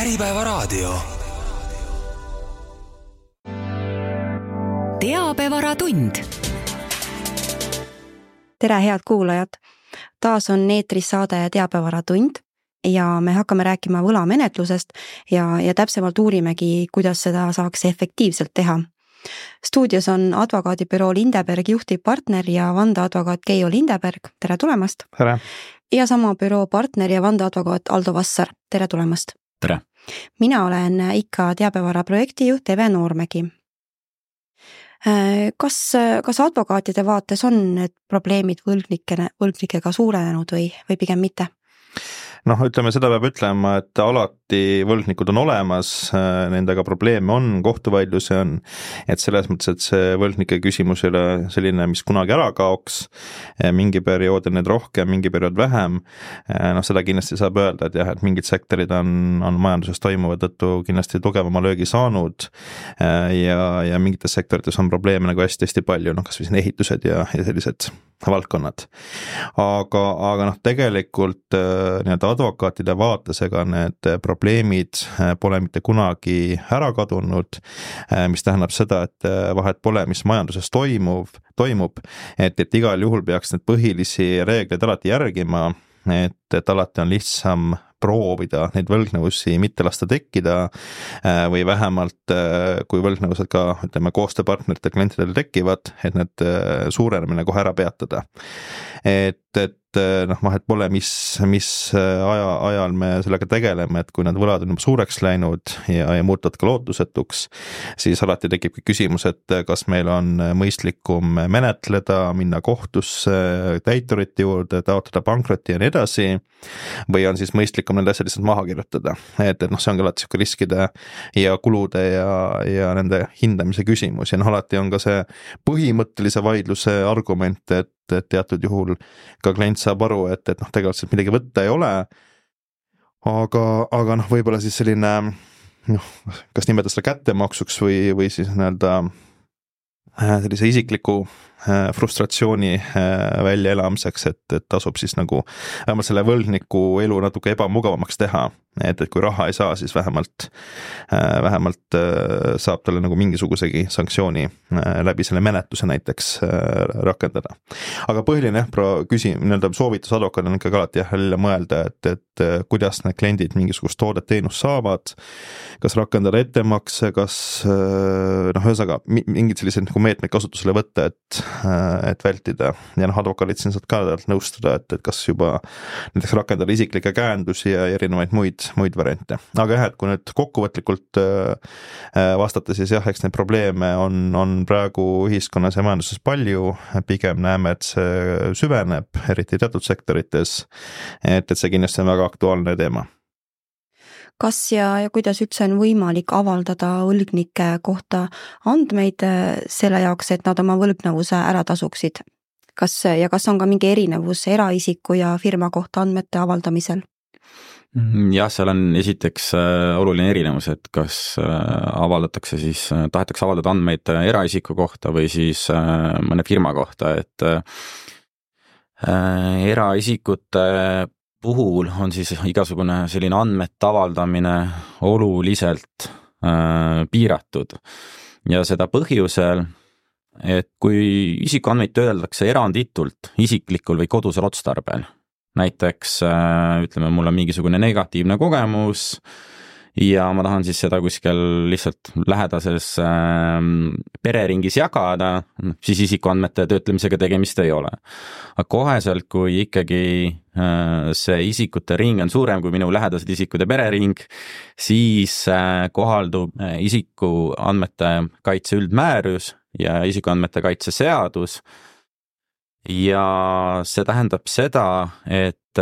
Äripäevaraadio. Teabevaratund. Tere, head kuulajad! Taas on eetris saade Teabevaratund ja me hakkame rääkima võlamenetlusest ja täpsemalt uurimegi, kuidas seda saaks efektiivselt teha. Stuudios on advokaadibüroo Lindeberg juhtivpartner ja vandeadvokaat Keijo Lindeberg. Tere tulemast! Tere! Ja sama büroo partner ja vandeadvokaat Aldo Vassar. Tere tulemast! Tere! Mina olen ikka Teabevara projektijuht Eve Noormägi. Kas advokaatide vaates on need probleemid võlgnikega suurenenud või pigem mitte? Ütleme, seda peab ütlema, et alati võlgnikud on olemas, nendega probleeme on, kohtuvaidlusi on, et selles mõttes, et see võlgnike küsimus ei ole selline, mis kunagi ära kaoks, mingi periood on need rohkem, mingi periood vähem, seda kindlasti saab öelda, et jah, et mingid sektorid on majanduses toimuva tõttu kindlasti tugevama löögi saanud ja mingites sektorites on probleeme nagu hästi palju, kas või siin ehitused ja sellised valdkonnad. Aga tegelikult advokaatide vaates ega need probleemid pole mitte kunagi ära kadunud, mis tähendab seda, et vahet pole, mis majanduses toimub, et igal juhul peaks need põhilisi reegleid alati järgima, et alati on lihtsam proovida neid võlgnevusi mitte lasta tekkida või vähemalt kui võlgnevused ka koostööpartnerite klientidel tekivad, et need suurenemine kohe ära peatada. Vahet pole, mis ajal me sellega tegeleme, et kui need võlad on juba suureks läinud ja muutuvad ka lootusetuks, siis alati tekibki küsimus, et kas meil on mõistlikum menetleda, minna kohtusse, täiturite juurde, taotleda pankrotti ja nii edasi, või on siis mõistlikum need asjad lihtsalt maha kirjutada. Et see ongi alati siuke riskide ja kulude ja nende hindamise küsimus ja alati on ka see põhimõttelise vaidluse argument, et teatud juhul ka klient saab aru, et tegelikult midagi võtta ei ole, aga võib-olla siis selline, kas nimeta seda kättemaksuks või siis sellise isikliku frustratsiooni väljaelamiseks, et tasub siis vähemalt selle võlgniku elu natuke ebamugavamaks teha, et kui raha ei saa, siis vähemalt saab talle mingisugusegi sanktsiooni läbi selle menetluse näiteks rakendada. Aga põhiline soovitus advokaadil on ikkagi alati jälle mõelda, et kuidas need kliendid mingisugust toodet teenust saavad, kas rakendada ettemakse, kas ühesõnaga mingid sellised meetmeid kasutusele võtta, et vältida ja advokaadid siin saad ka nõustada, et kas juba näiteks rakendada isiklikke käendusi ja erinevaid muid variante. Aga jah, et kui nüüd kokkuvõtlikult vastata, siis jah, eks neid probleeme on praegu ühiskonnas ja majanduses palju, pigem näeme, et see süveneb, eriti teatud sektorites, et see kindlasti on väga aktuaalne teema. Kas ja kuidas üldse on võimalik avaldada võlgnike kohta andmeid selle jaoks, et nad oma võlgnevuse ära tasuksid? Kas on ka mingi erinevus eraisiku ja firma kohta andmete avaldamisel? Jah, seal on esiteks oluline erinevus, et kas tahetakse avaldada andmeid eraisiku kohta või siis mõne firma kohta, et eraisikute puhul on siis igasugune selline andmete avaldamine oluliselt piiratud ja seda põhjusel, et kui isikuandmeid töödeldakse eranditult isiklikul või kodusel otstarbel, näiteks ütleme, mul on mingisugune negatiivne kogemus ja ma tahan siis seda kuskil lihtsalt lähedases pereringis jagada, siis isikuandmete töötlemisega tegemist ei ole. Aga koheselt, kui ikkagi see isikute ring on suurem kui minu lähedased isikud ja perering, siis kohaldub isikuandmete kaitse üldmäärus ja isikuandmete kaitse seadus ja see tähendab seda, et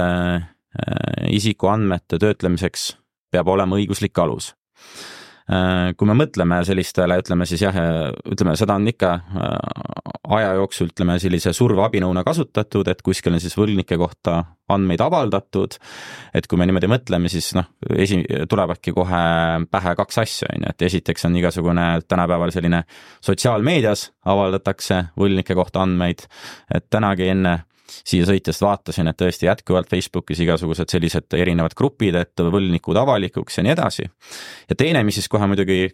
isikuandmete töötlemiseks peab olema õiguslik alus. Kui me mõtleme sellistele, ütleme, seda on ikka aja jooksul, ütleme, sellise surveabinõuna kasutatud, et kuskil on siis võlgnike kohta andmeid avaldatud, et kui me niimoodi mõtleme, siis tulevadki kohe pähe kaks asja, et esiteks on igasugune tänapäeval selline sotsiaalmeedias avaldatakse võlgnike kohta andmeid, et tänagi enne siia sõitjast vaatasin, et tõesti jätkuvalt Facebookis igasugused sellised erinevad grupid, et võlgnikud avalikuks ja nii edasi. Ja teine, mis siis kohe muidugi,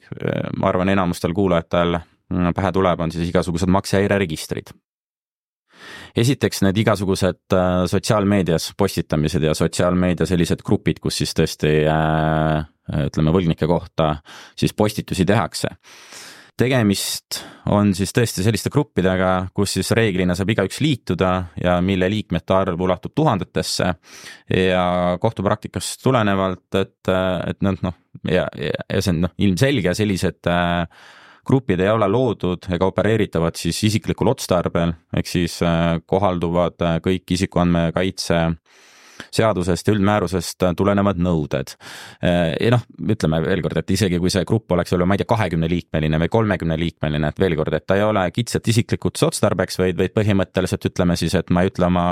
ma arvan, enamustel kuulajatel pähe tuleb, on siis igasugused maksehäireregistrid. Esiteks need igasugused sotsiaalmeedias postitamised ja sotsiaalmeedia sellised grupid, kus siis tõesti ütleme võlgnike kohta siis postitusi tehakse. Tegemist on siis tõesti selliste gruppidega, kus siis reeglina saab igaüks liituda ja mille liikmete arv ulatub tuhandetesse ja kohtupraktikast tulenevalt, et ja see on ilmselge, sellised grupid ei ole loodud ega opereeritavad siis isiklikul otstarbel, ehk siis kohalduvad kõik isikuandmekaitse seadusest ja üldmäärusest tulenevad nõuded. Ja ütleme veel kord, et isegi kui see grupp oleks ma ei tea 20-liikmeline või 30-liikmeline, et veel kord, et ta ei ole kitsalt isiklikuks otstarbeks, vaid põhimõtteliselt ütleme siis, et ma ei ütle oma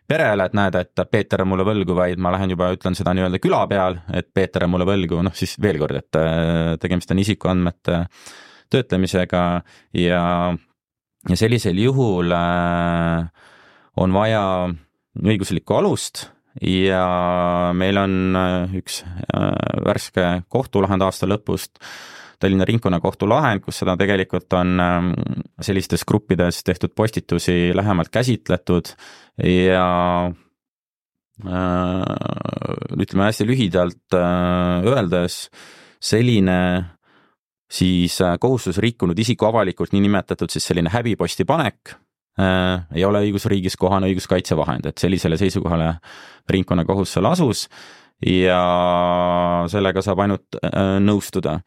perele, et näed, et Peeter on mulle võlgu, vaid ma lähen juba ütlen seda nii-öelda küla peal, et Peeter on mulle võlgu, siis veel kord, et tegemist on isikuandmete töötlemisega ja sellisel juhul on vaja õiguslikku alust ja meil on üks värske kohtulahend aasta lõpust, Tallinna ringkonnakohtu lahend, kus seda tegelikult on sellistes gruppides tehtud postitusi lähemalt käsitletud ja ütleme hästi lühidalt öeldes selline siis kohustus rikkunud isiku avalikult niinimetatud siis selline häbiposti panek ei ole õigusriigis kohane õiguskaitsevahend, et sellisele seisukohale ringkonnakohus seal asus ja sellega saab ainult nõustuda.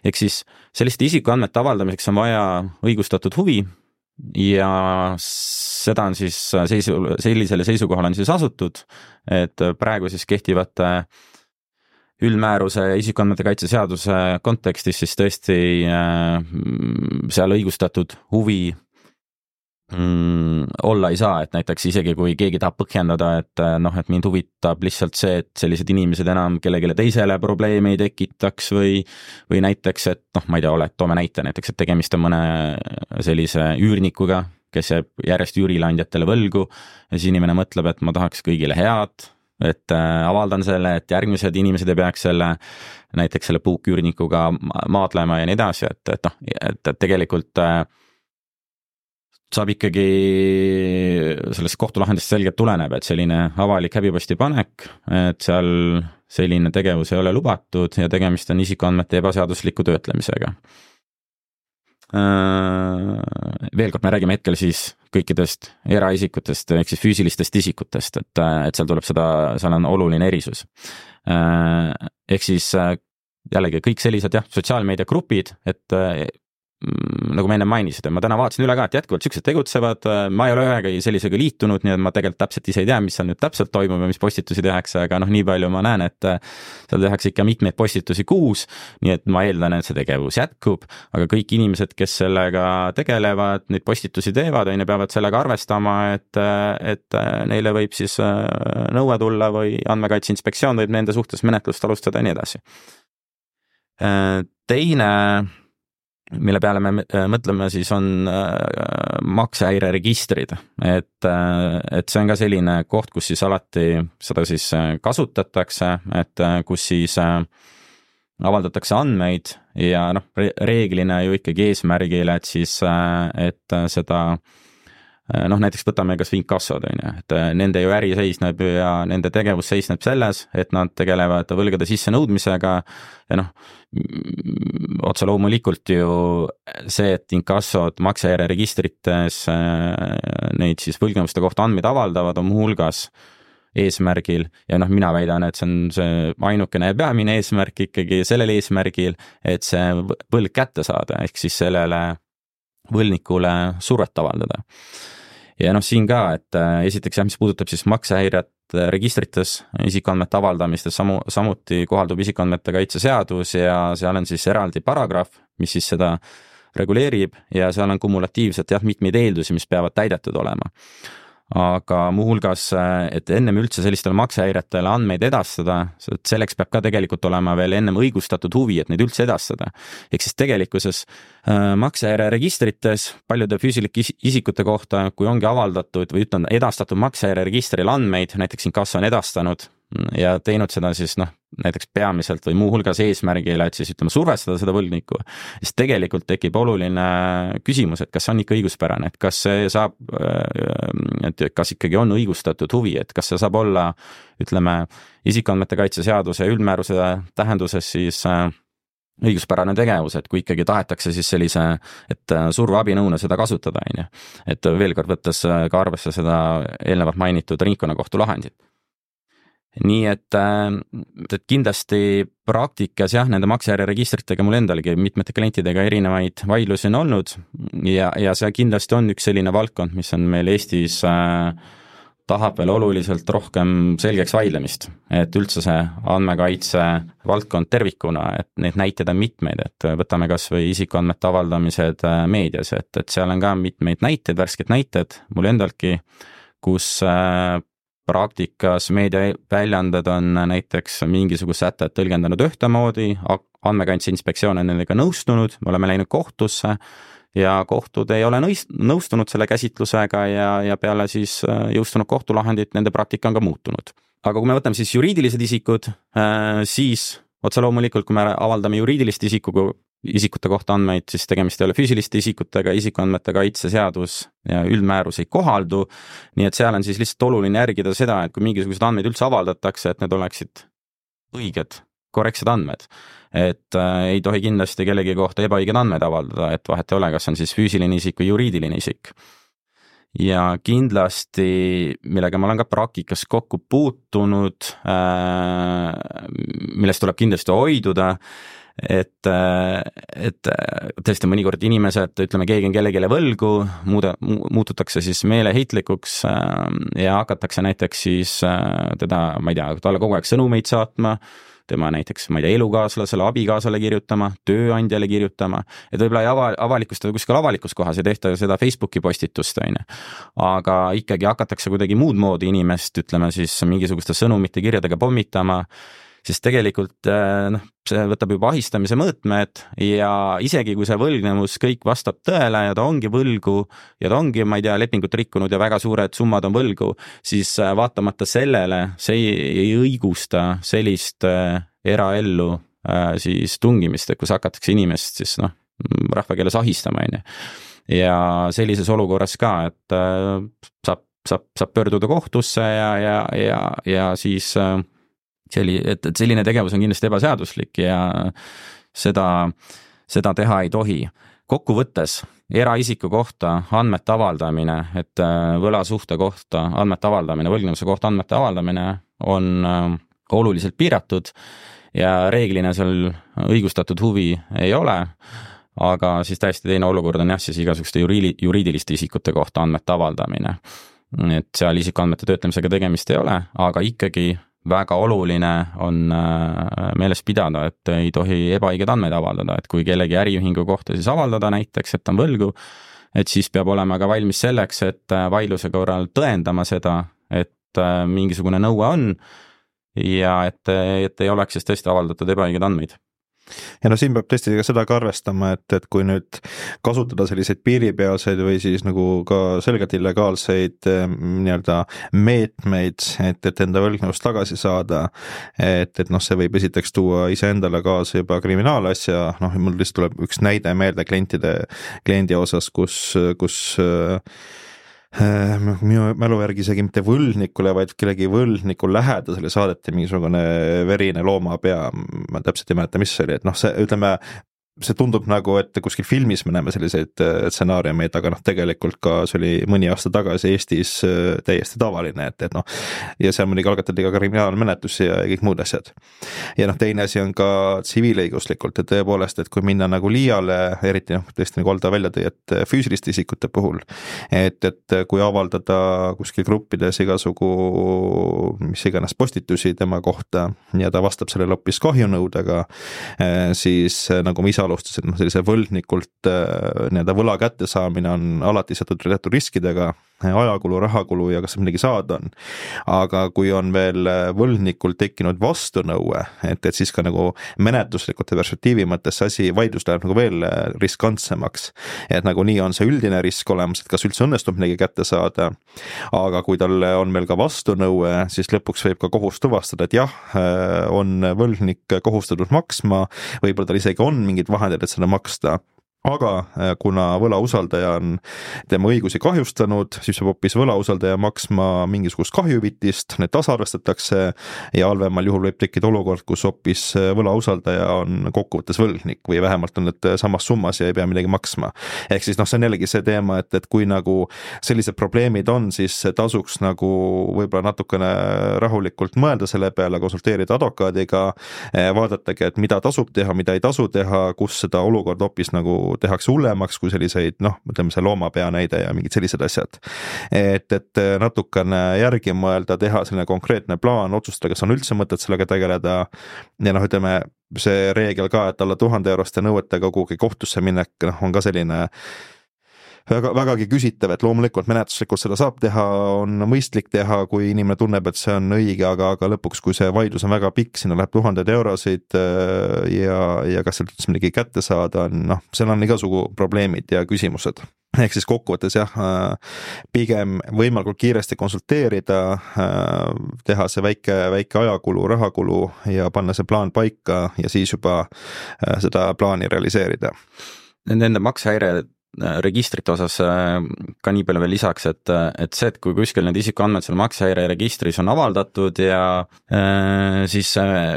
Ehk siis selliste isikuandmete avaldamiseks on vaja õigustatud huvi ja seda on siis sellisele seisukohale on siis asutud, et praegu siis kehtivate üldmääruse ja isikuandmete kaitse seaduse kontekstis siis tõesti seal õigustatud huvi olla ei saa, et näiteks isegi kui keegi tahab põhjendada, et mind huvitab lihtsalt see, et sellised inimesed enam kellelegi teisele probleeme ei tekitaks või näiteks, et ma ei tea, toome näite näiteks, et tegemist on mõne sellise üürnikuga, kes jääb järjest üürileandjatele võlgu ja siis inimene mõtleb, et ma tahaks kõigile head, et avaldan selle, et järgmised inimesed ei peaks näiteks selle puuküürnikuga maadlema ja nii edasi, et tegelikult saab ikkagi sellest kohtulahendist selgelt tuleneb, et selline avalik häbiposti panek, et seal selline tegevus ei ole lubatud ja tegemist on isikuandmete ebaseadusliku töötlemisega. Veel kord me räägime hetkel siis kõikidest eraisikutest ehk siis füüsilistest isikutest, et seal tuleb seal on oluline erisus. Ehk siis jällegi kõik sellised sotsiaalmeedia grupid, et nagu ma enne mainisid, ma täna vaatasin üle ka, et jätkuvalt sellised tegutsevad, ma ei ole ühegi sellisega liitunud, nii et ma tegelikult täpselt ise ei tea, mis seal nüüd täpselt toimub ja mis postitusi tehakse, aga nii palju ma näen, et seal tehakse ikka mitmeid postitusi kuus, nii et ma eeldan, et see tegevus jätkub, aga kõik inimesed, kes sellega tegelevad, neid postitusi teevad, peavad sellega arvestama, et neile võib siis nõue tulla või Andmekaitse Inspektsioon võib nende suhtes menetlust alustada ja nii edasi. Teine mille peale me mõtleme siis on maksehäireregistrid, et see on ka selline koht, kus siis alati seda siis kasutatakse, et kus siis avaldatakse andmeid ja reeglina ju ikkagi eesmärgile, et siis, et seda näiteks võtame kas inkassod, et nende ju äri seisneb ja nende tegevus seisneb selles, et nad tegelevad võlgade sissenõudmisega ja otse loomulikult ju see, et inkassod maksehäireregistrites neid siis võlgnevuste kohta andmeid avaldavad, on muuhulgas eesmärgil ja mina väidan, et see on see ainukene ja peamine eesmärk ikkagi sellel eesmärgil, et see võlg kätte saada, ehk siis sellele võlgnikule survet avaldada. Ja siin ka, et esiteks mis puudutab siis maksehäiret registrites isikuandmete avaldamistes, samuti kohaldub isikuandmete kaitse seadus ja seal on siis eraldi paragrahv, mis siis seda reguleerib ja seal on kumulatiivselt mitmeid eeldusi, mis peavad täidetud olema. aga muuhulgas, et ennem üldse sellistele maksehäiretele andmeid edastada, selleks peab ka tegelikult olema veel ennem õigustatud huvi, et neid üldse edastada. Ehk siis tegelikkuses maksehäire registrites paljude füüsilike isikute kohta, kui ongi avaldatud või ütlen edastatud maksehäire registril andmeid, näiteks inkasso on edastanud ja teinud seda siis näiteks peamiselt või muuhulgas eesmärgile, et siis survestada seda võlgnikku, siis tegelikult tekib oluline küsimus, et kas see on ikka õiguspärane, et kas see saab, et kas ikkagi on õigustatud huvi, et kas see saab olla, isikuandmete kaitse seaduse üldmääruse tähenduses siis õiguspärane tegevus, et kui ikkagi tahetakse siis sellise, et surveabinõuna seda kasutada, et veel kord võttes ka arvesse seda eelnevalt mainitud ringkonnakohtu lahendit. Nii et kindlasti praktikas nende maksehäire registritega mul endalgi mitmete klientidega erinevaid vaidlusi on olnud ja see kindlasti on üks selline valdkond, mis on meil Eestis tahab veel oluliselt rohkem selgeks vaidlemist, et üldse see andmekaitse valdkond tervikuna, et neid näiteid on mitmeid, et võtame kas või isikuandmete avaldamised meedias, et seal on ka mitmeid näiteid, värsked näited mul endalgi, kus praktikas meediaväljaanded on näiteks mingisugust sätet tõlgendanud ühtemoodi, andmekaitse inspektsioon on nendega nõustunud, me oleme läinud kohtusse ja kohtud ei ole nõustunud selle käsitlusega ja peale siis jõustunud kohtulahendit nende praktika on ka muutunud. Aga kui me võtame siis juriidilised isikud, siis otse loomulikult, kui me avaldame juriidilist isikute kohta andmeid, siis tegemist ei ole füüsiliste isikutega, isikuandmete kaitse seadus ja üldmäärus ei kohaldu, nii et seal on siis lihtsalt oluline järgida seda, et kui mingisugused andmeid üldse avaldatakse, et need oleksid õiged, korrektsed andmed. Et ei tohi kindlasti kellegi kohta ebaõiged andmeid avaldada, et vahet ei ole, kas on siis füüsiline isik või juriidiline isik. Ja kindlasti, millega ma olen ka praktikas kokku puutunud, millest tuleb kindlasti hoiduda, et tõesti mõnikord inimesed, keegi on kellegile võlgu, muututakse siis meeleheitlikuks ja hakatakse näiteks siis teda, ma ei tea, talle kogu aeg sõnumeid saatma, tema näiteks, ma ei tea, elukaaslasele, abikaasale kirjutama, tööandjale kirjutama, et võib-olla ei avalikustada kuskil avalikus kohas, ei tehta seda Facebooki postitust, aga ikkagi hakatakse kuidagi muud moodi inimest, siis mingisuguste sõnumite kirjadega pommitama, siis tegelikult see võtab juba ahistamise mõõtmed ja isegi kui see võlgnevus kõik vastab tõele ja ta ongi võlgu ja ta ongi, ma ei tea, lepingut rikkunud ja väga suured summad on võlgu, siis vaatamata sellele see ei õigusta sellist eraellu siis tungimist, et kus hakatakse inimest siis rahvakeeles ahistama. Ja sellises olukorras ka, et saab pöörduda kohtusse ja siis et selline tegevus on kindlasti ebaseaduslik ja seda teha ei tohi. Kokkuvõttes eraisiku kohta andmete avaldamine, et võlasuhte kohta andmete avaldamine, võlgnevuse kohta andmete avaldamine on oluliselt piiratud ja reeglina seal õigustatud huvi ei ole, aga siis täiesti teine olukord on siis igasuguste juriidiliste isikute kohta andmete avaldamine. Et seal isikuandmete töötlemisega tegemist ei ole, aga ikkagi väga oluline on meeles pidada, et ei tohi ebaõiged andmeid avaldada, et kui kellegi äriühingu kohta siis avaldada näiteks, et on võlgu, et siis peab olema ka valmis selleks, et vaidluse korral tõendama seda, et mingisugune nõue on ja et ei oleks siis tõesti avaldatud ebaõiged andmeid. Ja siin peab tõesti seda ka arvestama, et kui nüüd kasutada selliseid piiripealseid või siis nagu ka selgelt illegaalseid meetmeid, et enda võlgnevust tagasi saada, et see võib esiteks tuua iseendale kaasa juba kriminaalasja, mul lihtsalt tuleb üks näide meelde kliendi osas, kus minu mälu järgi isegi mitte võlgnikule, vaid kellegi võlgniku lähedasele saadeti mingisugune verine loomapea, ma täpselt ei mäleta, mis see oli, et see tundub nagu, et kuskil filmis me näeme selliseid stsenaariumeid, aga tegelikult ka see oli mõni aasta tagasi Eestis täiesti tavaline, ja seal muidugi algatati ka kriminaalmenetlusi ja kõik muud asjad. Ja teine asi on ka tsiviilõiguslikult, et tõepoolest, et kui minna nagu liiale, eriti tõesti nagu Aldo välja tõi, et füüsiliste isikute puhul, et kui avaldada kuskil gruppides igasugu mis iganes postitusi tema kohta ja ta vastab sellele hoopis kahjunõudega, siis nagu ma ise alustasin, sellise võlgnikult võla kättesaamine on alati seotud teatud riskidega, ajakulu, rahakulu ja kas midagi saada on. Aga kui on veel võlgnikul tekkinud vastunõue, et siis ka nagu menetluslikute perspektiivi mõttes see asi, vaidlus läheb nagu veel riskantsemaks. Et nagu nii on see üldine risk olemas, et kas üldse õnnestub midagi kätte saada, aga kui tal on veel ka vastunõue, siis lõpuks võib ka kohus tuvastada, et jah, on võlgnik kohustatud maksma, võib-olla tal isegi on mingid vahendid, et seda maksta. Aga kuna võlausaldaja on tema õigusi kahjustanud, siis peab hoopis võlausaldaja maksma mingisugust kahjuvitist, need tasarvestatakse ja halvemal juhul võib tekkida olukord, kus hoopis võlausaldaja on kokkuvõttes võlgnik või vähemalt on need samas summas ja ei pea midagi maksma. Ehk siis see on jällegi see teema, et kui nagu sellised probleemid on, siis tasuks nagu võib-olla natukene rahulikult mõelda selle peale, konsulteerida advokaadiga, vaadatagi, et mida tasub teha, mida ei tasu teha, kus seda olukord hoopis nagu tehakse hullemaks kui selliseid, ütleme see loomapea näide ja mingid sellised asjad. Et natukene järgi mõelda, teha selline konkreetne plaan, otsustada, kas on üldse mõtet sellega tegeleda ja ütleme see reegel ka, et alla 1000 euroste nõuetega kuhugi kohtusse minek, on ka selline vägagi küsitav, et loomulikult menetluslikult seda saab teha, on mõistlik teha, kui inimene tunneb, et see on õige, aga lõpuks, kui see vaidlus on väga pikk, sinna läheb 1000 eurosid ja kas sealt üldse midagi kätte saada on, seal on igasugu probleemid ja küsimused. Ehk siis kokkuvõttes jah, pigem võimalikult kiiresti konsulteerida, teha see väike ajakulu, rahakulu ja panna see plaan paika ja siis juba seda plaani realiseerida. Nende maksehäire registrite osas ka nii palju veel lisaks, et see, et kui kuskil need isikuandmed seal maksehäire registris on avaldatud ja siis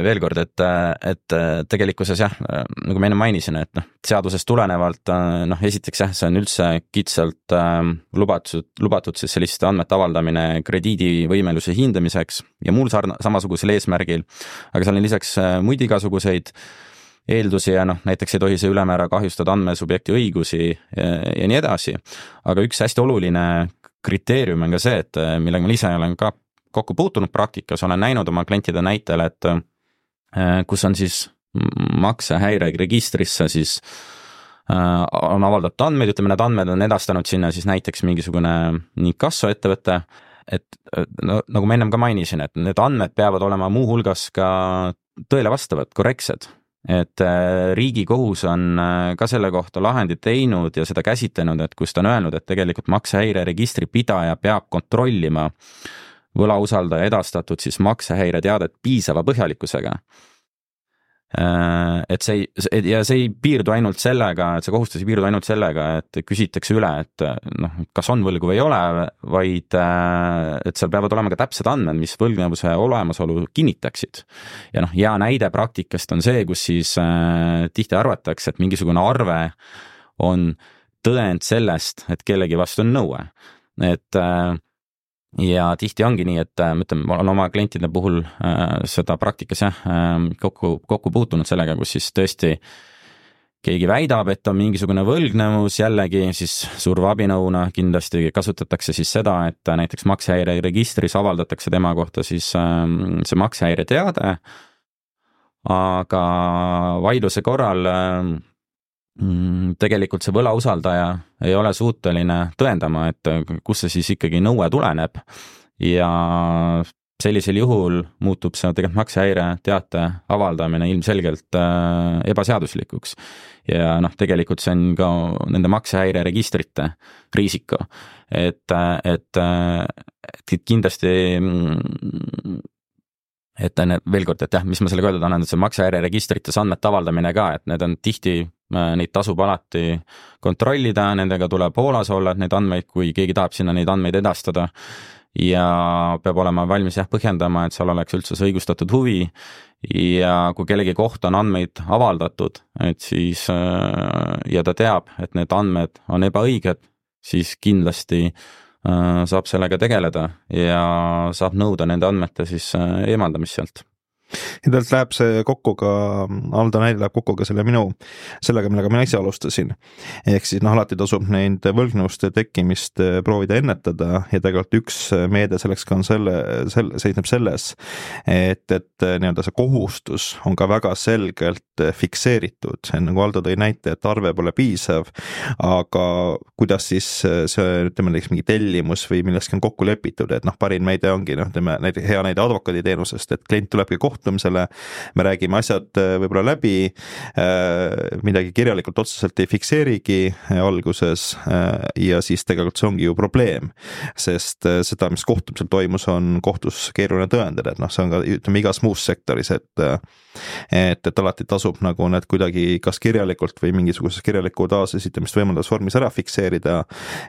veel kord, et tegelikkuses jah, nagu ma enne mainisin, et seadusest tulenevalt esiteks jah, see on üldse kitsalt lubatud siis selliste andmete avaldamine krediidivõimeluse hindamiseks ja muul samasugusel eesmärgil, aga seal on lisaks muid igasuguseid eeldusi ja näiteks ei tohi see ülemäära kahjustada andmesubjekti õigusi ja nii edasi. Aga üks hästi oluline kriteerium on ka see, et millega ma ise olen ka kokku puutunud praktikas, olen näinud oma klientide näitel, et kus on siis maksehäire registrisse siis on avaldatud andmeid, ütleme, need andmed on edastanud sinna siis näiteks mingisugune inkassoettevõte, et nagu ma ennem ka mainisin, et need andmed peavad olema muu hulgas ka tõele vastavad, korrektsed. Et Riigikohus on ka selle kohta lahendid teinud ja seda käsitlenud, et kus ta on öelnud, et tegelikult maksehäire registri pidaja peab kontrollima võlausaldaja edastatud siis maksehäire teadet piisava põhjalikkusega. Et see ei piirdu ainult sellega, et see kohustus ei piirdu ainult sellega, et küsitakse üle, et kas on võlgu või ei ole, vaid et seal peavad olema ka täpsed andmed, mis võlgnevuse olemasolu kinnitaksid. Ja hea näide praktikast on see, kus siis tihti arvatakse, et mingisugune arve on tõend sellest, et kellegi vastu on nõue. Et ja tihti ongi nii, et ma olen oma klientide puhul seda praktikas kokku puutunud sellega, kus siis tõesti keegi väidab, et on mingisugune võlgnevus, jällegi siis surveabinõuna kindlasti kasutatakse siis seda, et näiteks maksehäire registris avaldatakse tema kohta siis see maksehäire teade, aga vaidluse korral tegelikult see võlausaldaja ei ole suuteline tõendama, et kus see siis ikkagi nõue tuleneb ja sellisel juhul muutub see tegelikult maksehäire teate avaldamine ilmselgelt ebaseaduslikuks ja tegelikult see on ka nende maksehäire registrite riisiko, et kindlasti et veel kord, et jah, mis ma sellega öelda tahan, et see maksehäire registrites andmete avaldamine ka, et need on tihti, neid tasub alati kontrollida, nendega tuleb hoolas olla, et neid andmeid, kui keegi tahab sinna neid andmeid edastada ja peab olema valmis põhjendama, et seal oleks üldse see õigustatud huvi ja kui kellegi kohta on andmeid avaldatud, et siis ja ta teab, et need andmed on ebaõiged, siis kindlasti saab sellega tegeleda ja saab nõuda nende andmete siis eemaldamist sealt. ja talt läheb see kokku ka, Aldo näide läheb kokku ka sellega, millega mina ise alustasin. Ehk siis alati tasub neid võlgnevuste tekkimist proovida ennetada ja tegelikult üks meede selleks ka on seisneb selles, et nii-öelda see kohustus on ka väga selgelt fikseeritud, nagu Aldo tõi näite, et arve pole piisav, aga kuidas siis see, ütleme näiteks mingi tellimus või millestki on kokku lepitud, et parim meede ongi, näiteks hea näide advokaaditeenusest, et klient tulebki kohtumisele, me räägime asjad võib-olla läbi, midagi kirjalikult otseselt ei fikseerigi alguses ja siis tegelikult see ongi ju probleem, sest seda, mis kohtumisel toimus, on kohtus keeruline tõendada, et see on ka, ütleme, igas muus sektoris, et alati tasub nagu need kuidagi kas kirjalikult või mingisuguses kirjaliku taasesitamist võimaldavas vormis ära fikseerida,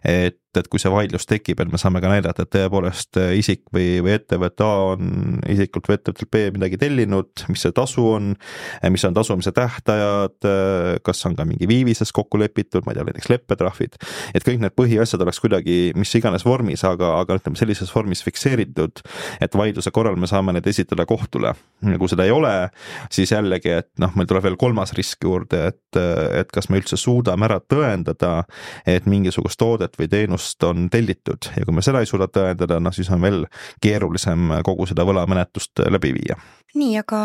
et kui see vaidlus tekib, et me saame ka näidata, et tõepoolest isik või ettevõte A on isikult või ettevõttelt B midagi tellinud, mis see tasu on, mis on tasumise tähtajad, kas on ka mingi viivises kokku lepitud, ma ei tea, näiteks leppetrahvid, et kõik need põhiasjad oleks kuidagi mis iganes vormis, aga ütleme sellises vormis fikseeritud, et vaidluse korral me saame need esitada kohtule. Kui seda ei ole, siis jällegi, et meil tuleb veel kolmas risk juurde, et kas me üldse suudame ära tõendada, et mingisugust toodet või teenust on tellitud ja kui me seda ei suuda tõendada, siis on veel keerulisem kogu seda võlamenetlust läbi viia. Nii, aga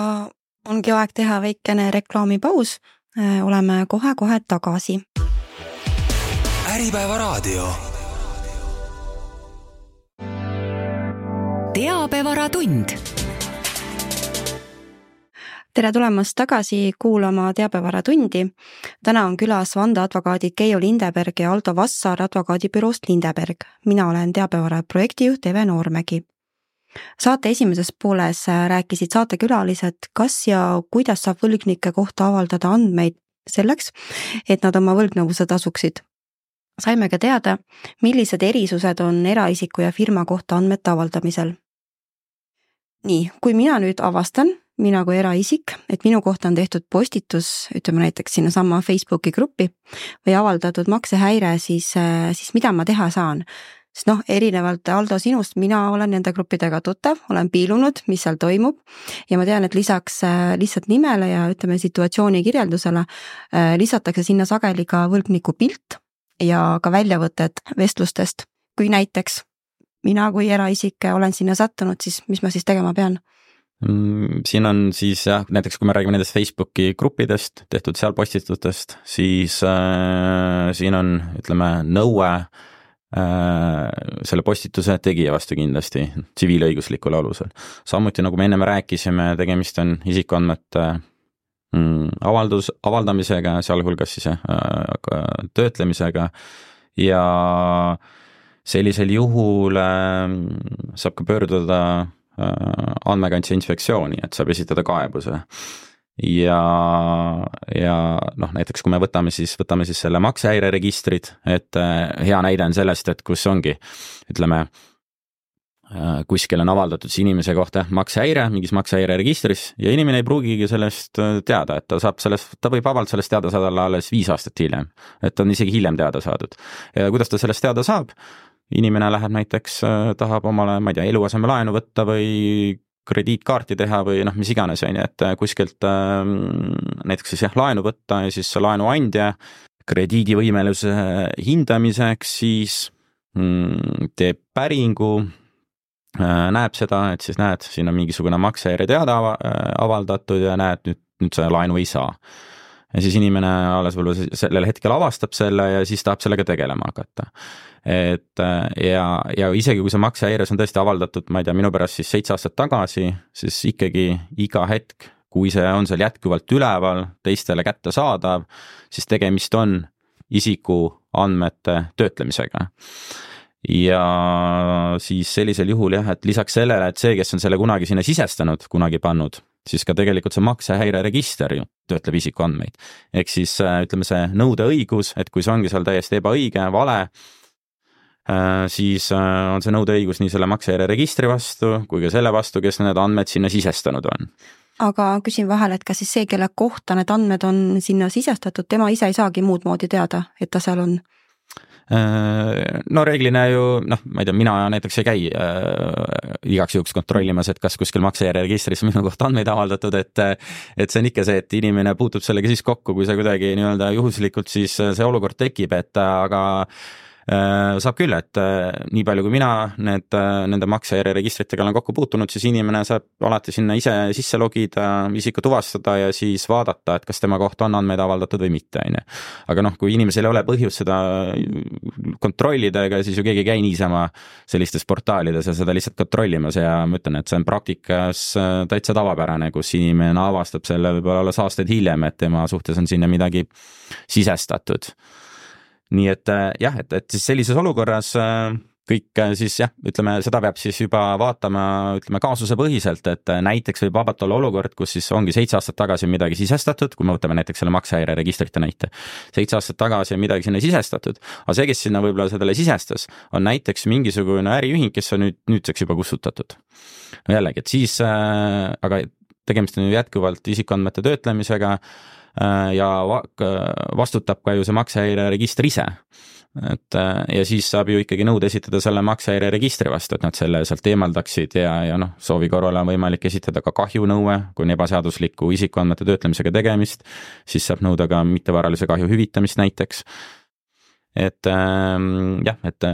ongi aeg teha väikene reklaamipaus. Oleme kohe tagasi. Äripäeva raadio. Teabevaratund. Tere tulemast tagasi kuulama Teabevaratundi. Täna on külas vandeadvokaadid Keijo Lindeberg ja Aldo Vassar advokaadibüroost Lindeberg. Mina olen Teabevara projektijuht Eve Noormägi. Saate esimeses pooles rääkisid saatekülalised, kas ja kuidas saab võlgnike kohta avaldada andmeid selleks, et nad oma võlgnevuse tasuksid. Saime ka teada, millised erisused on eraisiku ja firma kohta andmete avaldamisel. Nii, kui mina nüüd avastan, mina kui eraisik, et minu kohta on tehtud postitus, ütleme näiteks sinna sama Facebooki gruppi või avaldatud maksehäire, siis mida ma teha saan? Sest erinevalt Aldo sinust, mina olen nende gruppidega tuttav, olen piilunud, mis seal toimub ja ma tean, et lisaks lihtsalt nimele ja ütleme situatsiooni kirjeldusele lisatakse sinna sageli ka võlgniku pilt ja ka väljavõtted vestlustest. Kui näiteks mina kui eraisik olen sinna sattunud, siis mis ma siis tegema pean? Siin on siis näiteks kui me räägime nendest Facebooki gruppidest, tehtud seal postitustest, siis siin on, ütleme, nõue selle postituse tegija vastu kindlasti tsiviilõiguslikul alusel. Samuti, nagu me enne rääkisime, tegemist on isikuandmete avaldamisega, sealhulgas siis töötlemisega ja sellisel juhul saab ka pöörduda andmekaitse inspektsiooni, et saab esitada kaebuse ja näiteks kui me võtame siis selle maksehäire registrid, et hea näide on sellest, et kus ongi, ütleme, kuskil on avaldatud inimese kohta maksehäire, mingis maksehäire registris ja inimene ei pruugigi sellest teada, et ta võib vabalt sellest teada saada alles 5 aastat hiljem, et on isegi hiljem teada saadud. Ja kuidas ta sellest teada saab? Inimene läheb näiteks, tahab omale, ma ei tea, eluasemelaenu võtta või krediitkaarti teha või mis iganes, et kuskilt näiteks siis laenu võtta ja siis laenuandja krediidivõimeluse hindamiseks siis teeb päringu, näeb seda, et siis näed, siin on mingisugune maksehäire teada avaldatud ja näed, nüüd sa laenu ei saa. Ja siis inimene alles võib-olla sellel hetkel avastab selle ja siis tahab sellega tegelema hakata. Ja isegi kui see maksehäires on tõesti avaldatud, ma ei tea, minu pärast siis 7 aastat tagasi, siis ikkagi iga hetk, kui see on seal jätkuvalt üleval, teistele kätte saadav, siis tegemist on isiku andmete töötlemisega. Ja siis sellisel juhul et lisaks sellele, et see, kes on selle kunagi sinna sisestanud, kunagi pannud, siis ka tegelikult see maksehäire register ju töötleb isiku andmeid. Ehk siis ütleme see nõudeõigus, et kui see ongi seal täiesti ebaõige, vale, siis on see nõudeõigus nii selle maksehäire registri vastu kui ka selle vastu, kes need andmed sinna sisestanud on. Aga küsin vahel, et kas siis see, kelle kohta need andmed on sinna sisestatud, tema ise ei saagi muud moodi teada, et ta seal on? No reeglina ju, ma ei tea, mina näiteks ei käi igaks juhuks kontrollimas, et kas kuskil maksejärjeregistris minu kohta andmeid avaldatud, et see on ikka see, et inimene puutub sellega siis kokku, kui see kuidagi nii-öelda juhuslikult siis see olukord tekib, et aga saab küll, et nii palju kui mina nende maksejärjeregistritega olen kokku puutunud, siis inimene saab alati sinna ise sisse logida, isiku tuvastada ja siis vaadata, et kas tema kohta on andmeid avaldatud või mitte, on ju. Aga kui inimesel ei ole põhjust seda kontrollida, ega siis ju keegi ei käi niisama sellistes portaalides ja seda lihtsalt kontrollimas ja ma ütlen, et see on praktikas täitsa tavapärane, kus inimene avastab selle võib-olla alles aastaid hiljem, et tema suhtes on sinna midagi sisestatud. Nii et jah, et siis sellises olukorras kõik siis jah, ütleme, seda peab siis juba vaatama, ütleme, kaasuse põhiselt, et näiteks võib vabalt olla olukord, kus siis ongi 7 aastat tagasi midagi sisestatud, kui me võtame näiteks selle maksehäireregistrite näite. 7 aastat tagasi on midagi sinna sisestatud, aga see, kes sinna võib-olla sellele sisestas, on näiteks mingisugune äriühing, kes on nüüdseks juba kustutatud. No jällegi, et siis, aga tegemist on ju jätkuvalt isikuandmete töötlemisega, ja vastutab ka ju see maksehäireregister ise. Ja siis saab ju ikkagi nõude esitada selle maksehäireregistri vastu, et nad selle sealt eemaldaksid ja soovi korral on võimalik esitada ka kahjunõue, kui on ebaseadusliku isikuandmete töötlemisega tegemist, siis saab nõuda ka mittevaralise kahju hüvitamist näiteks. Et jah, et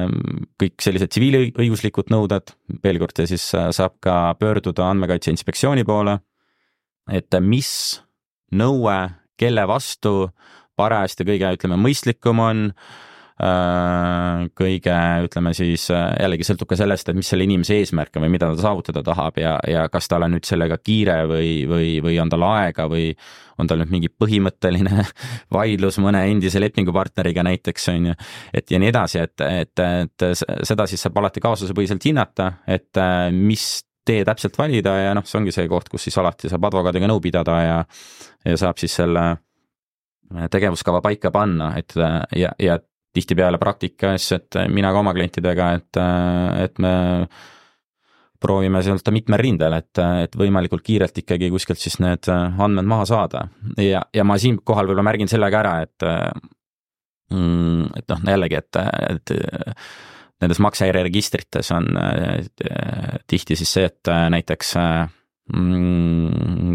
kõik sellised tsiviilõiguslikud nõuded, veel kord ja siis saab ka pöörduda Andmekaitse Inspektsiooni poole, et mis nõue kelle vastu parajasti kõige, ütleme, mõistlikum on, kõige, ütleme siis, jällegi sõltub ka sellest, et mis selle inimese eesmärk on või mida ta saavutada tahab ja kas tal on nüüd sellega kiire või on tal aega või on tal nüüd mingi põhimõtteline vaidlus mõne endise lepingupartneriga näiteks, on ju, et ja nii edasi, et seda siis saab alati kaasusepõhiselt hinnata, et mis tee täpselt valida ja see ongi see koht, kus siis alati saab advokaadiga nõu pidada ja saab siis selle tegevuskava paika panna, et ja tihtipeale praktikas, et mina ka oma klientidega, et me proovime sealt mitmel rindel, et võimalikult kiirelt ikkagi kuskilt siis need andmed maha saada ja ma siin kohal võib-olla märgin sellega ära, et jällegi, et nendes maksehäireregistrites on tihti siis see, et näiteks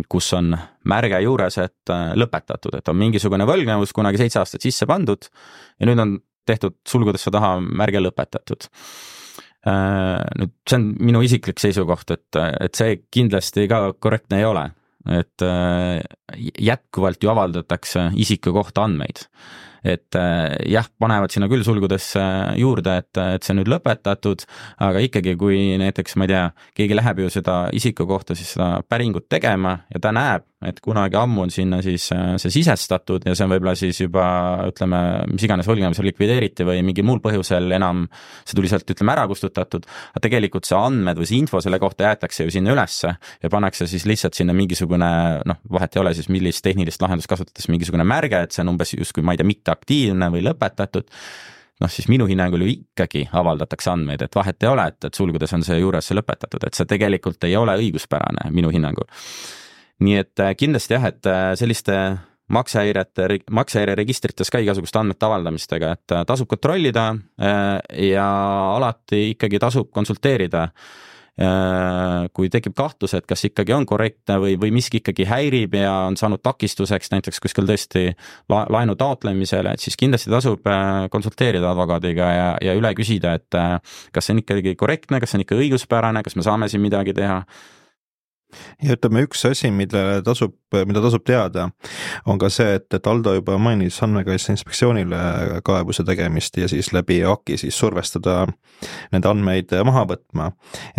kus on märge juures, et lõpetatud, et on mingisugune võlgnevus kunagi 7 aastat sisse pandud ja nüüd on tehtud sulgudesse taha märge lõpetatud. Nüüd see on minu isiklik seisukoht, et see kindlasti ka korrektne ei ole, et jätkuvalt ju avaldatakse isiku kohta andmeid. Et jah, panevad sinna küll sulgudesse juurde, et see nüüd lõpetatud, aga ikkagi kui näiteks, ma ei tea, keegi läheb ju seda isiku kohta siis seda päringut tegema ja ta näeb, et kunagi ammu on sinna siis see sisestatud ja see on võib-olla siis juba, ütleme, mis iganes võlgnevusel likvideeriti või mingi muul põhjusel enam see tuli sealt, ütleme, ära kustutatud, aga tegelikult see andmed või see info selle kohta jäetakse ju sinna ülesse ja pannakse siis lihtsalt sinna mingisugune, vahet ei ole siis millist tehnilist lahendust kasutades mingisugune märge, et see on umbes justkui, ma ei tea, mitte aktiivne või lõpetatud, siis minu hinnangul ju ikkagi avaldatakse andmeid, et vahet ei ole, et sulgudes on see juures see lõpetatud, et see tegelikult ei ole õiguspärane minu hinnangul. Nii et kindlasti jah, et selliste maksehäireregistrites ka igasuguste andmete avaldamistega, et tasub kontrollida ja alati ikkagi tasub konsulteerida, kui tekib kahtlus, et kas ikkagi on korrektne või miski ikkagi häirib ja on saanud takistuseks näiteks kuskil tõesti laenu taotlemisele, et siis kindlasti tasub konsulteerida advokaadiga ja üle küsida, et kas see on ikkagi korrektne, kas see on ikka õiguspärane, kas me saame siin midagi teha. Ja ütleme, üks asi, mida tasub teada, on ka see, et Aldo juba mainis Andmekaitse Inspektsioonile kaebuse tegemist ja siis läbi AKI siis survestada nende andmeid maha võtma.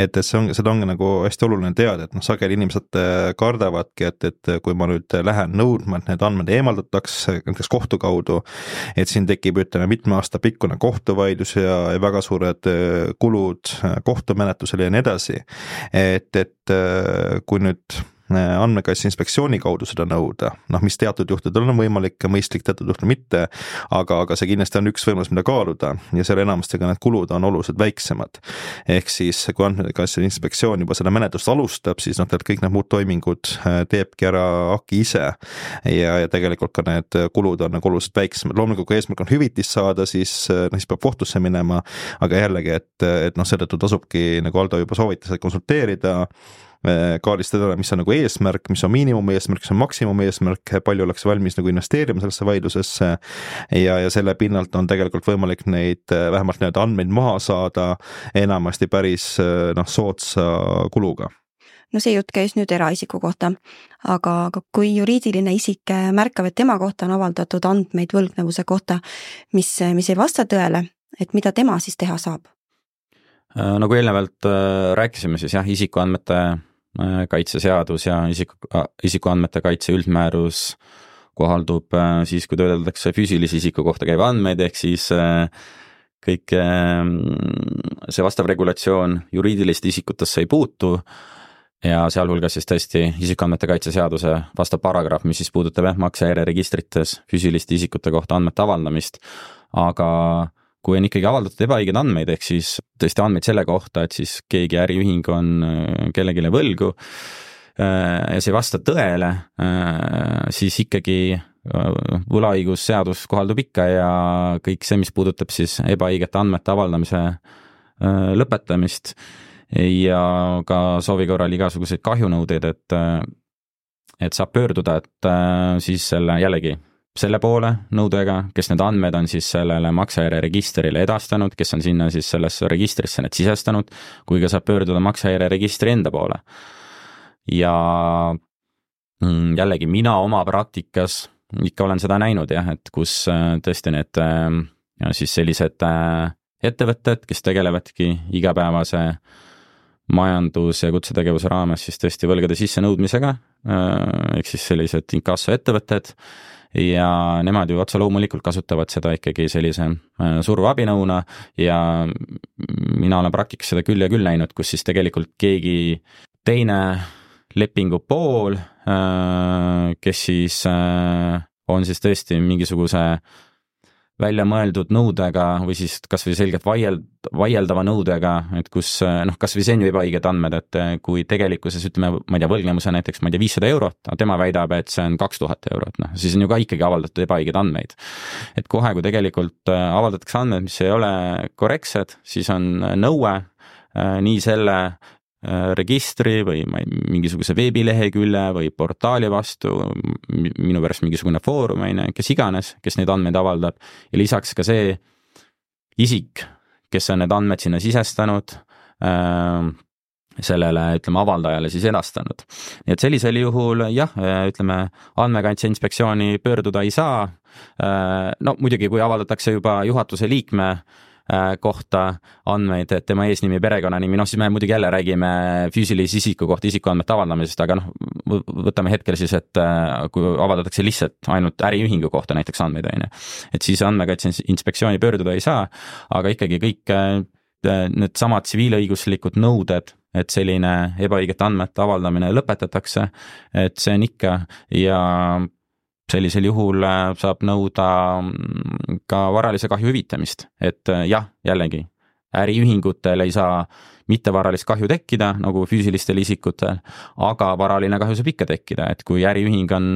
Et seda ongi nagu hästi oluline teada, et sageli inimesed kardavadki, et kui ma nüüd lähen nõudma, et need andmed eemaldatakse näiteks kohtu kaudu, et siin tekib, ütleme, mitme aasta pikkune kohtuvaidlus ja väga suured kulud kohtumenetlusele ja nii edasi. Et kui nüüd andmekaitse inspektsiooni kaudu seda nõuda, mis teatud juhtudel on võimalik ja mõistlik, teatud juhtudel mitte, aga see kindlasti on üks võimalus, mida kaaluda ja selle enamastega need kulud on oluliselt väiksemad. Ehk siis, kui andmekaitse inspektsioon juba seda menetlust alustab, siis kõik need muud toimingud teebki ära AKI ise ja tegelikult ka need kulud on oluliselt väiksemad. Loomulikult, kui eesmärk on hüvitist saada, siis peab kohtusse minema, aga jällegi, et seetõttu tasubki, nagu Aldo juba soovitas, et konsulteerida, kaardistada, mis on nagu eesmärk, mis on miinimum eesmärk, mis on maksimum eesmärk, palju oleks valmis nagu investeerima sellesse vaidlusesse ja selle pinnalt on tegelikult võimalik neid vähemalt need andmeid maha saada enamasti päris soodsa kuluga. No see jutt käis nüüd eraisiku kohta, aga kui juriidiline isik märkab, et tema kohta on avaldatud andmeid võlgnevuse kohta, mis ei vasta tõele, et mida tema siis teha saab? Nagu eelnevalt rääkisime, siis jah, isikuandmete kaitseseadus ja isikuandmete kaitse üldmäärus kohaldub siis, kui töödeldakse füüsilise isiku kohta käiva andmeid, ehk siis kõik see vastav regulatsioon juriidilist isikutesse ei puutu ja sealhulgas siis tõesti isikuandmete kaitseseaduse vastav paragrahv, mis siis puudutab maksehäire registrites füüsiliste isikute kohta andmete avaldamist, aga kui on ikkagi avaldatud ebaõiged andmeid, ehk siis tõesti andmeid selle kohta, et siis keegi äriühing on kellegile võlgu ja see ei vasta tõele, siis ikkagi võlaõigusseadus kohaldub ikka ja kõik see, mis puudutab siis ebaõigete andmete avaldamise lõpetamist ja ka soovi korral igasuguseid kahjunõudeid, et saab pöörduda, et siis selle poole nõudega, kes need andmed on siis sellele maksehäire registrile edastanud, kes on sinna siis sellesse registrisse need sisestanud, kui ka saab pöörduda maksehäire registri enda poole. Ja jällegi mina oma praktikas ikka olen seda näinud jah, et kus tõesti need siis sellised ettevõtted, kes tegelevadki igapäevase majandus- ja kutsetegevuse raames siis tõesti võlgade sissenõudmisega, ehk siis sellised inkasso ettevõtted, ja nemad ju otsa loomulikult kasutavad seda ikkagi sellise surveabinõuna ja mina olen praktikas seda küll ja küll näinud, kus siis tegelikult keegi teine lepingu pool, kes siis on siis tõesti mingisuguse välja mõeldud nõudega või siis kas või selgelt vaieldava nõudega, et kus kas või see on ju ebaõiged andmed, et kui tegelikkuses ütleme, ma ei tea, võlgnevuse näiteks, ma ei tea, 500 eurot, tema väidab, et see on 2000 eurot, siis on ju ka ikkagi avaldatud ebaõiged andmeid. Et kohe, kui tegelikult avaldatakse andmed, mis ei ole korrektsed, siis on nõue nii selle registri või mingisuguse veebilehekülje või portaali vastu, minu pärast mingisugune foorum, kes iganes, kes neid andmeid avaldab ja lisaks ka see isik, kes on need andmed sinna sisestanud, sellele, ütleme, avaldajale siis edastanud. Nii et sellisel juhul jah, ütleme, andmekaitse inspektsiooni pöörduda ei saa. No muidugi, kui avaldatakse juba juhatuse liikme kohta andmeid, et tema eesnimi, perekonnanimi, siis me muidugi jälle räägime füüsilise isiku kohta isikuandmete avaldamisest, aga võtame hetkel siis, et kui avaldatakse lihtsalt ainult äriühingu kohta näiteks andmeid, et siis andmekaitse inspektsiooni pöörduda ei saa, aga ikkagi kõik need samad tsiviilõiguslikud nõuded, et selline ebaõigete andmete avaldamine lõpetatakse, et see on ikka ja sellisel juhul saab nõuda ka varalise kahju hüvitamist, et jah, jällegi, äriühingutel ei saa mittevaralist kahju tekkida, nagu füüsilistel isikutel, aga varaline kahju saab ikka tekkida, et kui äriühing on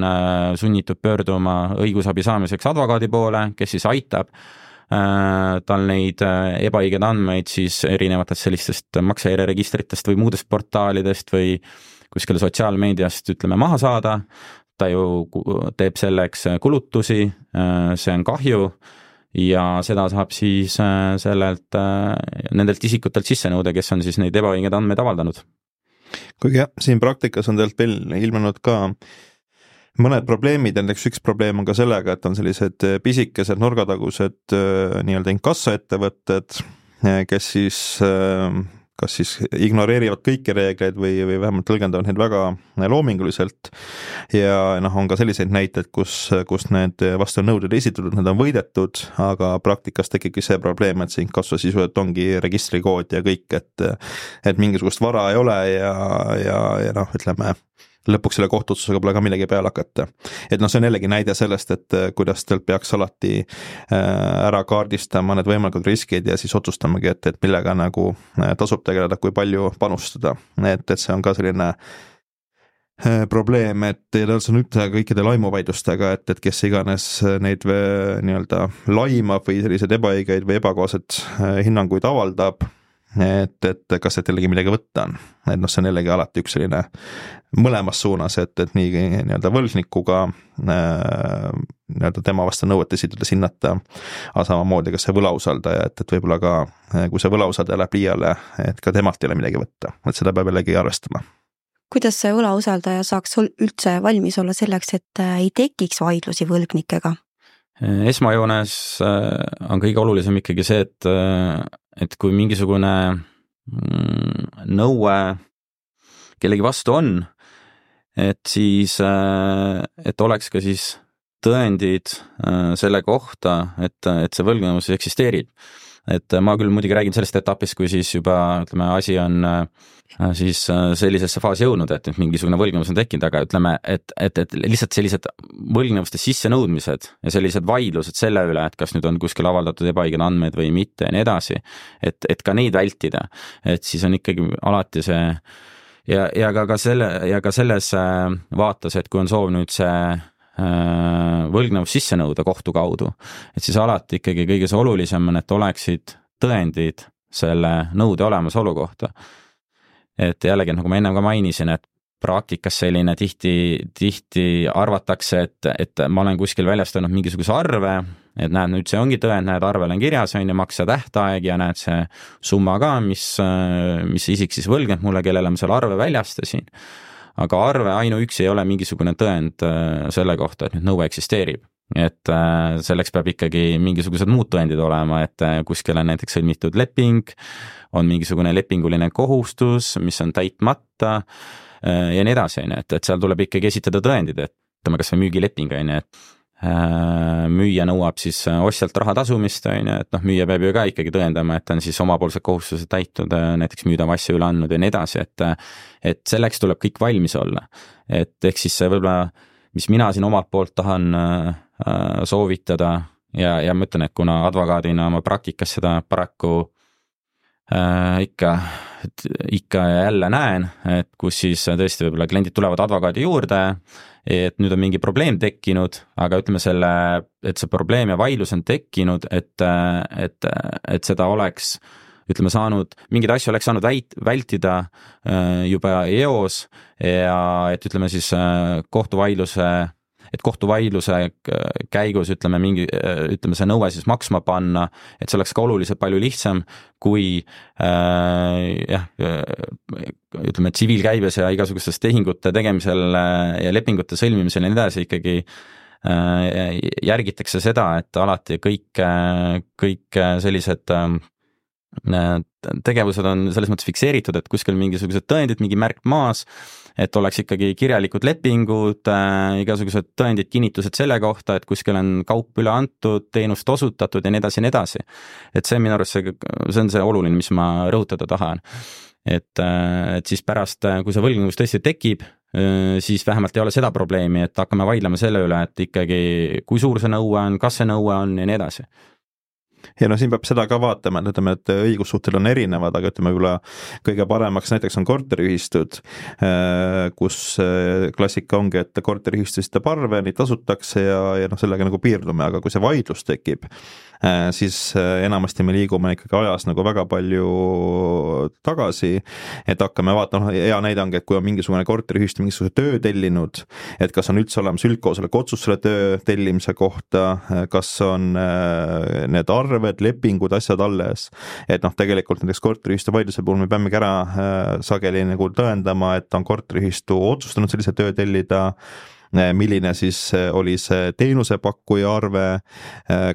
sunnitud pöörduma õigusabi saamiseks advokaadi poole, kes siis aitab tal neid ebaõiged andmeid siis erinevatest sellistest maksehäire registritest või muudest portaalidest või kuskil sotsiaalmeediast, ütleme, maha saada, ta ju teeb selleks kulutusi, see on kahju ja seda saab siis sellelt, nendelt isikutelt sisse nõuda, kes on siis neid ebaõiged andmeid avaldanud. Kuigi jah, siin praktikas on tegelikult veel ilmunud ka mõned probleemid, näiteks üks probleem on ka sellega, et on sellised pisikesed nurgatagused nii-öelda inkassoettevõtted, kes siis kas siis ignoreerivad kõiki reegleid või vähemalt tõlgendavad neid väga loominguliselt ja on ka selliseid näiteid, kus need vastu nõuded esitatud, need on võidetud, aga praktikas tekibki see probleem, et see inkasso sisuliselt ongi registrikood ja kõik, et mingisugust vara ei ole ja ütleme, lõpuks selle kohtuotsusega pole ka millegi peale hakata. Et noh, see on jällegi näide sellest, et kuidas teil peaks alati ära kaardistama need võimalikud riskid ja siis otsustamagi, et millega nagu tasub tegeleda, kui palju panustada. Et see on ka selline probleem, et tal on üldse kõikide laimuvaidlustega, et kes iganes neid nii-öelda laimab või sellised ebaõigeid või ebakohased hinnanguid avaldab, et kas et jällegi midagi võtta on. Et noh, see on jällegi alati üks selline mõlemas suunas, et nii nii-öelda võlgnikuga nii-öelda tema vastu nõuet esitades hinnata, aga samamoodi ka see võlausaldaja, et võib-olla ka, kui see võlausaldaja läheb liiale, et ka temalt ei ole midagi võtta, et seda peab jällegi arvestama. Kuidas see võlausaldaja saaks üldse valmis olla selleks, et ei tekiks vaidlusi võlgnikega? Esmajoones on kõige olulisem ikkagi see, et kui mingisugune nõue kellegi vastu on, et siis, et oleks ka siis tõendid selle kohta, et see võlgnevus eksisteerib. Et ma küll muidugi räägin sellest etapist, kui siis juba, ütleme, asi on siis sellisesse faasi jõudnud, et mingisugune võlgnevus on tekkinud, aga ütleme, et lihtsalt sellised võlgnevuste sissenõudmised ja sellised vaidlused selle üle, et kas nüüd on kuskil avaldatud ebaõiged andmed või mitte ja nii edasi, et ka neid vältida, et siis on ikkagi alati see ja ka selles vaates, et kui on soov nüüd see võlgnevus sisse nõuda kohtu kaudu, et siis alati ikkagi kõige see olulisem on, et oleksid tõendid selle nõude olemasolu kohta. Et jällegi, nagu ma ennem ka mainisin, et praktikas selline tihti arvatakse, et ma olen kuskil väljastanud mingisuguse arve, et näed, nüüd see ongi tõend, näed, arvel on kirjas, on ju makse tähtaeg ja näed see summa ka, mis isik siis võlgneb mulle, kellele ma selle arve väljastasin. Aga arve ainuüksi ei ole mingisugune tõend selle kohta, et nüüd nõue eksisteerib. Et selleks peab ikkagi mingisugused muud tõendid olema, et kuskil on näiteks sõlmitud leping, on mingisugune lepinguline kohustus, mis on täitmata ja nii edasi, et seal tuleb ikkagi esitada tõendid, et ütleme kas või müügileping, et müüja nõuab siis ostjalt raha tasumist, et noh, müüja peab ju ka ikkagi tõendama, et on siis omapoolsed kohustused täitud, näiteks müüdava asja üle andnud ja nii edasi, et selleks tuleb kõik valmis olla. Et ehk siis see võib-olla, mis mina siin omalt poolt tahan soovitada ja ma ütlen, et kuna advokaadina oma praktikas seda paraku ikka ja jälle näen, et kus siis tõesti võib-olla kliendid tulevad advokaadi juurde, et nüüd on mingi probleem tekkinud, aga ütleme et see probleem ja vaidlus on tekkinud, et seda oleks, ütleme, mingeid asju oleks saanud vältida juba eos ja et ütleme siis kohtuvaidluse käigus ütleme see nõue siis maksma panna, et see oleks ka oluliselt palju lihtsam kui ütleme tsiviilkäibes ja igasugustes tehingute tegemisel ja lepingute sõlmimisel ja nii edasi ikkagi järgitakse seda, et alati kõik sellised tegevused on selles mõttes fikseeritud, et kuskil mingisugused tõendid, mingi märk maas, et oleks ikkagi kirjalikud lepingud, igasugused tõendid, kinnitused selle kohta, et kuskil on kaup üle antud, teenust osutatud ja nii edasi ja nii edasi. Et see minu arust see on see oluline, mis ma rõhutada tahan. Et siis pärast, kui see võlgnevus tõesti tekib, siis vähemalt ei ole seda probleemi, et hakkame vaidlema selle üle, et ikkagi kui suur see nõue on, kas see nõue on ja nii edasi. Ja no siin peab seda ka vaatama, et ütleme, et õigussuhted on erinevad, aga ütleme võib-olla kõige paremaks näiteks on korteriühistud, kus klassika ongi, et korteriühistu esitab arve, neid tasutakse ja noh, sellega nagu piirdume, aga kui see vaidlus tekib, siis enamasti me liigume ikkagi ajas nagu väga palju tagasi, et hakkame vaatama, hea näide ongi, et kui on mingisugune korteriühistu mingisuguse töö tellinud, et kas on üldse olemas üldkoosoleku otsus selle töö tellimise kohta, kas on need arved, lepingud, asjad alles, et noh, tegelikult näiteks korteriühistu vaidluse puhul me peamegi ära sageli nagu tõendama, et on korteriühistu otsustanud sellise töö tellida, milline siis oli see teenusepakkuja arve,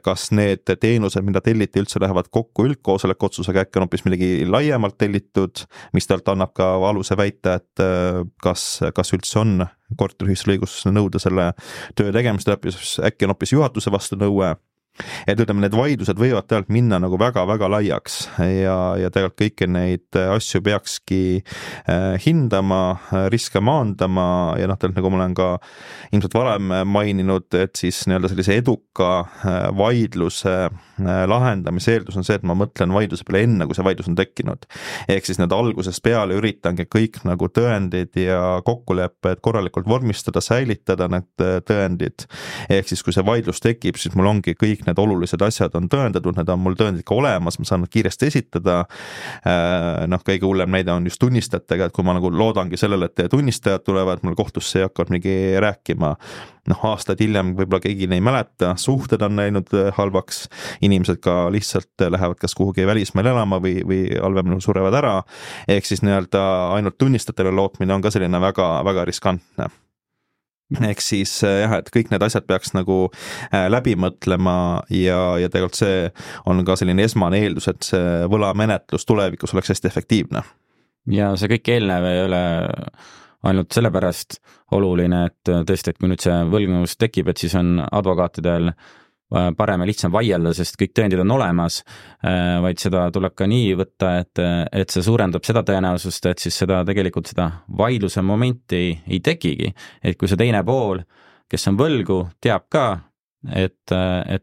kas need teenused, mida telliti, üldse lähevad kokku üldkoosoleku otsusega, äkki on hoopis millegi laiemalt tellitud, mis talt annab ka aluse väita, et kas üldse on korteriühistul õigus nõuda selle töö tegemist, äkki on hoopis juhatuse vastu nõue. et ütleme, need vaidlused võivad tegelikult minna nagu väga-väga laiaks ja tegelikult kõiki neid asju peakski hindama, riske maandama ja tegelikult nagu ma olen ka ilmselt varem maininud, et siis nii-öelda sellise eduka vaidluse lahendamise eeldus on see, et ma mõtlen vaidluse peale enne, kui see vaidlus on tekkinud. Ehk siis need algusest peale üritangi kõik nagu tõendid ja kokkulepped korralikult vormistada, säilitada need tõendid. Ehk siis kui see vaidlus tekib, siis mul ongi kõik need olulised asjad on tõendatud, need on mul tõendid ka olemas, ma saan nad kiiresti esitada. Kõige hullem näide on just tunnistajatega, et kui ma nagu loodangi sellele, et tunnistajad tulevad mul kohtusse ja hakkavad mingi rääkima, aastaid hiljem võib-olla keegi ei mäleta, suhted on läinud halvaks, inimesed ka lihtsalt lähevad kas kuhugi välismaal elama või halvem surevad ära, ehk siis nii-öelda ainult tunnistajatele lootmine on ka selline väga, väga riskantne. Ehk siis jah, et kõik need asjad peaks nagu läbi mõtlema ja tegelikult see on ka selline esmane eeldus, et see võlamenetlus tulevikus oleks hästi efektiivne. Ja see kõik eelnev ei ole ainult sellepärast oluline, et tõesti, et kui nüüd see võlgnevus tekib, et siis on advokaatidel parem ja lihtsam vaielda, sest kõik tõendid on olemas, vaid seda tuleb ka nii võtta, et see suurendab seda tõenäosust, et siis seda tegelikult seda vaidluse momenti ei tekigi. Et kui see teine pool, kes on võlgu, teab ka, et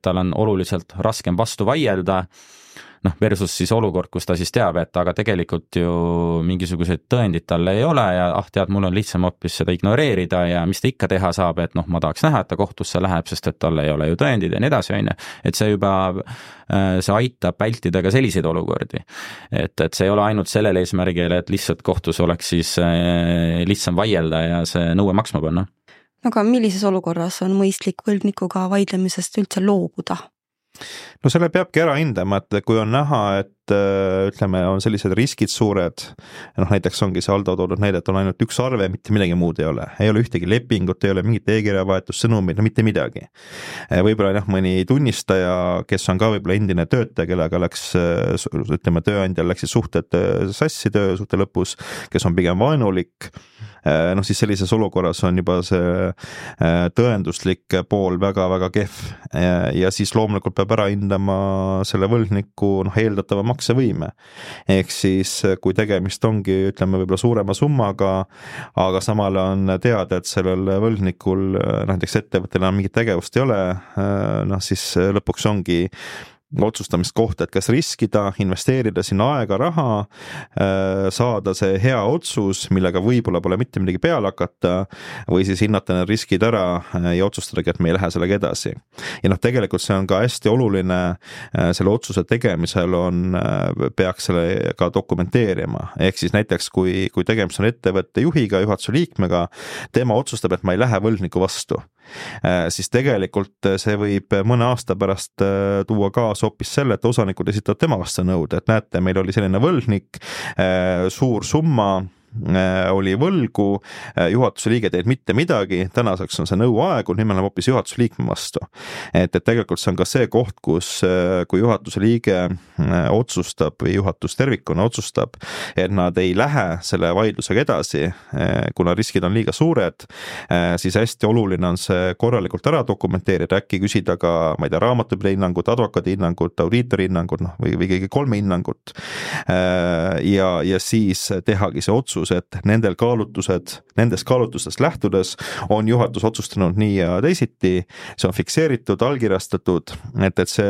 tal on oluliselt raskem vastu vaielda, versus siis olukord, kus ta siis teab, et aga tegelikult ju mingisuguseid tõendid talle ei ole ja tead, mul on lihtsam hoopis seda ignoreerida ja mis ta ikka teha saab, et ma tahaks näha, et ta kohtusse läheb, sest et talle ei ole ju tõendid ja nii edasi, on ju. Et see juba, see aitab vältida ka selliseid olukordi. Et see ei ole ainult sellele eesmärgile, et lihtsalt kohtus oleks siis lihtsam vaielda ja see nõue maksma panna. Aga millises olukorras on mõistlik võlgnikuga vaidlemisest üldse loobuda? No selle peabki ära hindama, et kui on näha, et ütleme, on sellised riskid suured, näiteks ongi see Aldo toodud näide, et on ainult üks arve, mitte midagi muud ei ole ühtegi lepingut, ei ole mingit e-kirjavahetus, sõnumid, mitte midagi. Võib-olla mõni tunnistaja, kes on ka võib-olla endine töötaja, kellega läks, ütleme, tööandjal läksid suhted sassi töösuhte lõpus, kes on pigem vaenulik, siis sellises olukorras on juba see tõenduslik pool väga-väga kehv ja siis loomulikult peab ära hindama selle võlgniku eeldatava maksevõime. Ehk siis kui tegemist ongi, ütleme, võib-olla suurema summaga, aga samal on teada, et sellel võlgnikul näiteks ettevõttel enam mingit tegevust ei ole, siis lõpuks ongi otsustamist kohta, et kas riskida, investeerida sinna aega, raha, saada see hea otsus, millega võib-olla pole mitte midagi peale hakata või siis hinnata need riskid ära ja otsustadagi, et me ei lähe sellega edasi. Ja tegelikult see on ka hästi oluline, selle otsuse tegemisel peaks selle ka dokumenteerima. Ehk siis näiteks, kui tegemist on ettevõtte juhiga, juhatuse liikmega, tema otsustab, et ma ei lähe võlgniku vastu. Siis tegelikult see võib mõne aasta pärast tuua kaasa hoopis selle, et osanikud esitavad tema vastu nõude, et näete, meil oli selline võlgnik, suur summa oli võlgu, juhatuse liige teed mitte midagi, tänaseks on see nõu aegu, nüüd me oleme hoopis juhatuse liikme vastu. Et tegelikult see on ka see koht, kus kui juhatuse liige otsustab või juhatus tervikuna otsustab, et nad ei lähe selle vaidlusega edasi, kuna riskid on liiga suured, siis hästi oluline on see korralikult ära dokumenteerida, äkki küsida ka, ma ei tea, raamatupidaja hinnangut, advokaadi hinnangut, audiitori hinnangut või kõige 3 hinnangut ja siis tehagi see otsus, et nendest kaalutlustest lähtudes on juhatus otsustanud nii ja teisiti, see on fikseeritud, allkirjastatud, et see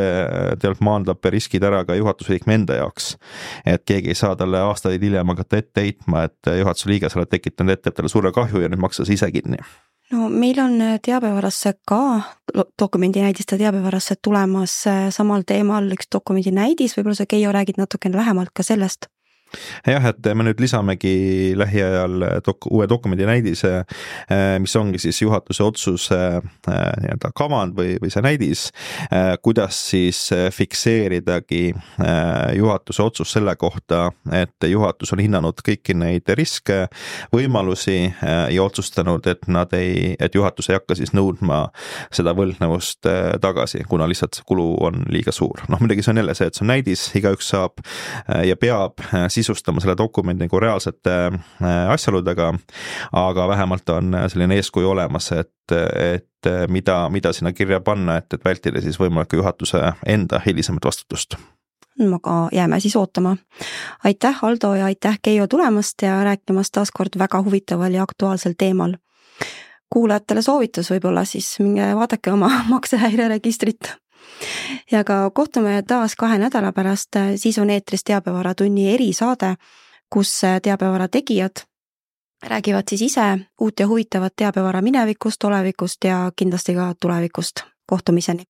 tegelikult maandab riskid ära ka juhatuse liikme enda jaoks. Et keegi ei saa talle aastaid hiljem hakata ette heitma, et juhatuse liige sa oled tekitanud ettevõttele suure kahju ja nüüd maksa ise kinni. No meil on teabevarasse ka dokumendinäidiste teabevarasse tulemas samal teemal üks dokumendinäidis, võib-olla sa Keijo räägid natukene lähemalt ka sellest. Jah, et me nüüd lisamegi lähiajal uue dokumendi näidise, mis ongi siis juhatuse otsuse kavand või see näidis, kuidas siis fikseeridagi juhatuse otsus selle kohta, et juhatus on hinnanud kõiki neid riske, võimalusi ja otsustanud, et juhatus ei hakka siis nõudma seda võlgnevust tagasi, kuna lihtsalt kulu on liiga suur. Muidugi see on jälle see, et see on näidis, igaüks saab ja peab sisustama selle dokumendi nagu reaalsete asjaoludega, aga vähemalt on selline eeskuju olemas, et mida sinna kirja panna, et vältida siis võimaliku juhatuse enda hilisemat vastutust. Aga jääme siis ootama. Aitäh, Aldo, ja aitäh, Keijo, tulemast ja rääkimast taas kord väga huvitaval ja aktuaalsel teemal. Kuulajatele soovitus võib-olla siis minge vaadake oma maksehäireregistrit. Ja ka kohtume taas 2 nädala pärast, siis on eetris Teabevaratunni erisaade, kus teabevara tegijad räägivad siis ise uut ja huvitavat teabevara minevikust, olevikust ja kindlasti ka tulevikust. Kohtumiseni!